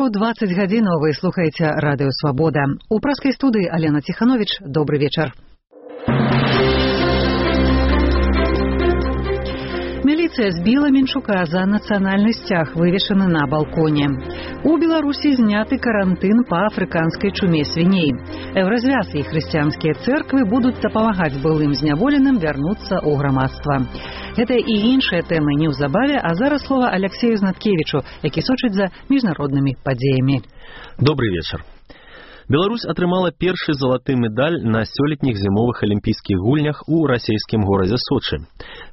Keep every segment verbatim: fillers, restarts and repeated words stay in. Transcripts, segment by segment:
Беларуску двадцать гадзінаў вы слухаеце радыё Свабода. У праскай студыі Алена Ціханович. Добры вечар. Міліцыя збіла Менчука за нацыянальны сцяг, вывешаны на балконе. У Беларусі зняты карантын па афрыканскай чуме свіней. Еўразвяз і хрысціянскія цэрквы будуць дапамагаць былым зняволеным вярнуцца ў грамадства. Гэта і іншыя тэмы неўзабаве, а зараз слова Алексею Знаткевічу, які сочыць за міжнароднымі падзеямі. Добрый вечар. Беларусь атрымала першы залаты медаль на сёлетніх зімовых алімпійскіх гульнях у расійскім горадзе Сочы.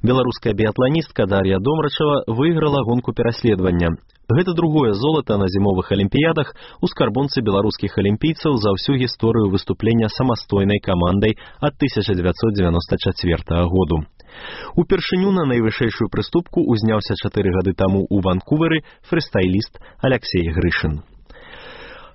Беларуская біятланістка Дар'я Домрачева выйграла гонку пераследавання. Гэта другое золата на зімовых алімпіядах у скарбонцы беларускіх алімпійцаў за ўсю гісторыю выступлення самастойнай камандай ад тысяча дзевяцьсот дзевяноста чацвёртага году. Упершыню на найвышэйшую прыступку узняўся чатыры гады таму ў Ванкувері фрыстайліст Алексей Грышын.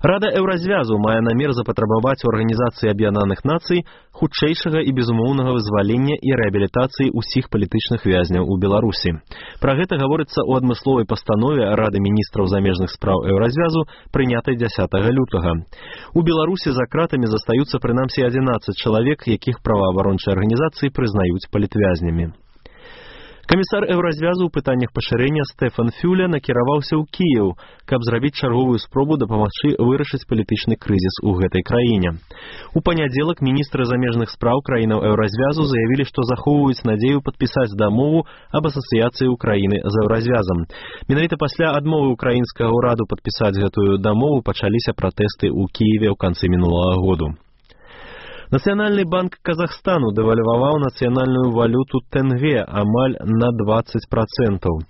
Рада Еўразвязу мае намер запатрабаваць у Арганізацыі Аб'яднаных Нацый хутчэйшага і безумоўнага вызвалення і рэабілітацыі ўсіх палітычных вязняў у Беларусі. Пра гэта гаворыцца ў адмысловай пастанове Рады міністраў замежных спраў Еўразвязу, прынятай дзясятага лютага. У Беларусі за кратамі застаюцца прынамсі адзінаццаць чалавек, якіх праваабарончыя арганізацыі прызнаюць палітвязнямі. Камісар Еўразвязу ў пытаннях пашырэння Стэфан Фюля накіраваўся ў Кіеў, каб зрабіць чарговую спробу дапамагчы вырашыць палітычны крызіс у гэтай краіне. У панядзелак міністры замежных спраў краінаў Еўразвязу заявілі, што захоўваюць надзею падпісаць дамову аб асацыяцыі Украіны з Еўразвязам. Менавіта пасля адмовы украінскага ўраду падпісаць гэтую дамову пачаліся пратэсты ў Кіеве ў канцы мінулага году. Нацыянальны банк Казахстану дэвальваваў нацыянальную валюту тэнгэ амаль на дваццаць працэнтаў.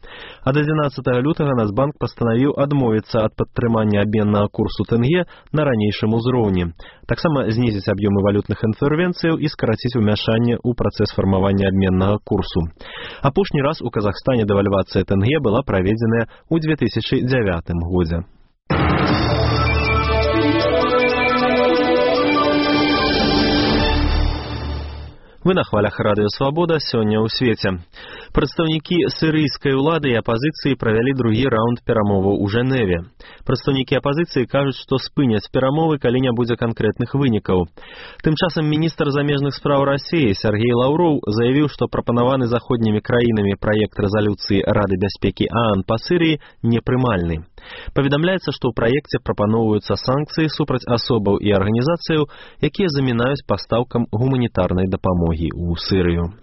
Ад адзінаццатага лютага Нацбанк пастанавіў адмовіцца ад падтрымання абменнага курсу тэнгэ на ранейшым узроўні. Таксама знізіць аб'ёмы валютных інтэрвенцыяў і скараціць умяшанне ў працэс фармавання абменнага курсу. Апошні раз у Казахстане дэвальвацыя тэнгэ была праведзеная ў две тысячы дзявятым годзе. Вы на хвалях радыё Свабода сёння ў свеце. Прадстаўнікі сірыйскай улады і апазіцыі правялі другі раунд перамоваў у Жэневе. Прадстаўнікі апазіцыі кажуць, што спыняць перамовы, калі не будзе канкрэтных вынікаў. Тым часам міністр замежных спраў Расіі Сергей Лаўроў заявіў, што прапанаваны заходнімі краінамі праект рэзалюцыі Рады бяспекі ААН па Сірыі непрымальны. Паведамляецца, што ў праекце прапаноўваюцца санкцыі супраць асобаў і арганізацыяў, якія замінаюць пастаўкам гуманітарнай дапамогі ў Сірыю.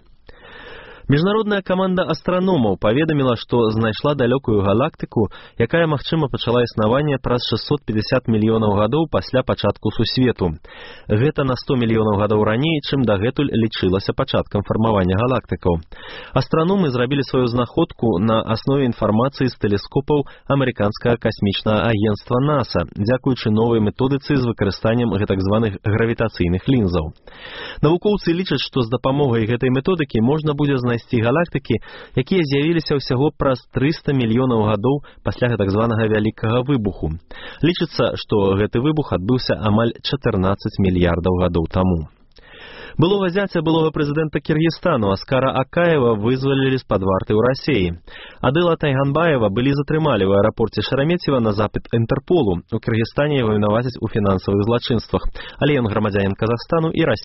Міжнародная каманда астраномаў паведаміла, што знайшла далёкую галактыку, якая, магчыма, пачала існаванне праз шэсцьсот пятьдесят мільёнаў гадоў пасля пачатку сусвету. Гэта на сто мільёнаў гадоў раней, чым дагэтуль лічылася пачаткам фармавання галактыкаў. Астраномы зрабілі сваю знаходку на аснове інфармацыі з тэлескопаў амерыканскага касмічнага агенцтва НАСА, дзякуючы новай методыцы з выкарыстаннем гэтак званых гравітацыйных лінзаў. Навукоўцы лічаць, што з дапамогай гэтай методыкі можна будзе знайсці знайсці галактыкі, якія з'явіліся ўсяго праз трыста мільёнаў гадоў пасля гэтак званага вялікага выбуху. Лічыцца, што гэты выбух адбыўся амаль чатырнаццаць мільярдаў гадоў таму. Былога зяця былога прэзідэнта Кіргізстану Аскара Акаева вызвалілі з-пад варты ў Расіі. Адыла Тайганбаева былі затрымалі ў аэрапорце Шереметьева на запыт Інтэрполу. У Кіргізстане яго вінавацяць у фінансавых злачынствах, але ён грамадзянін Казахстану і Расіі.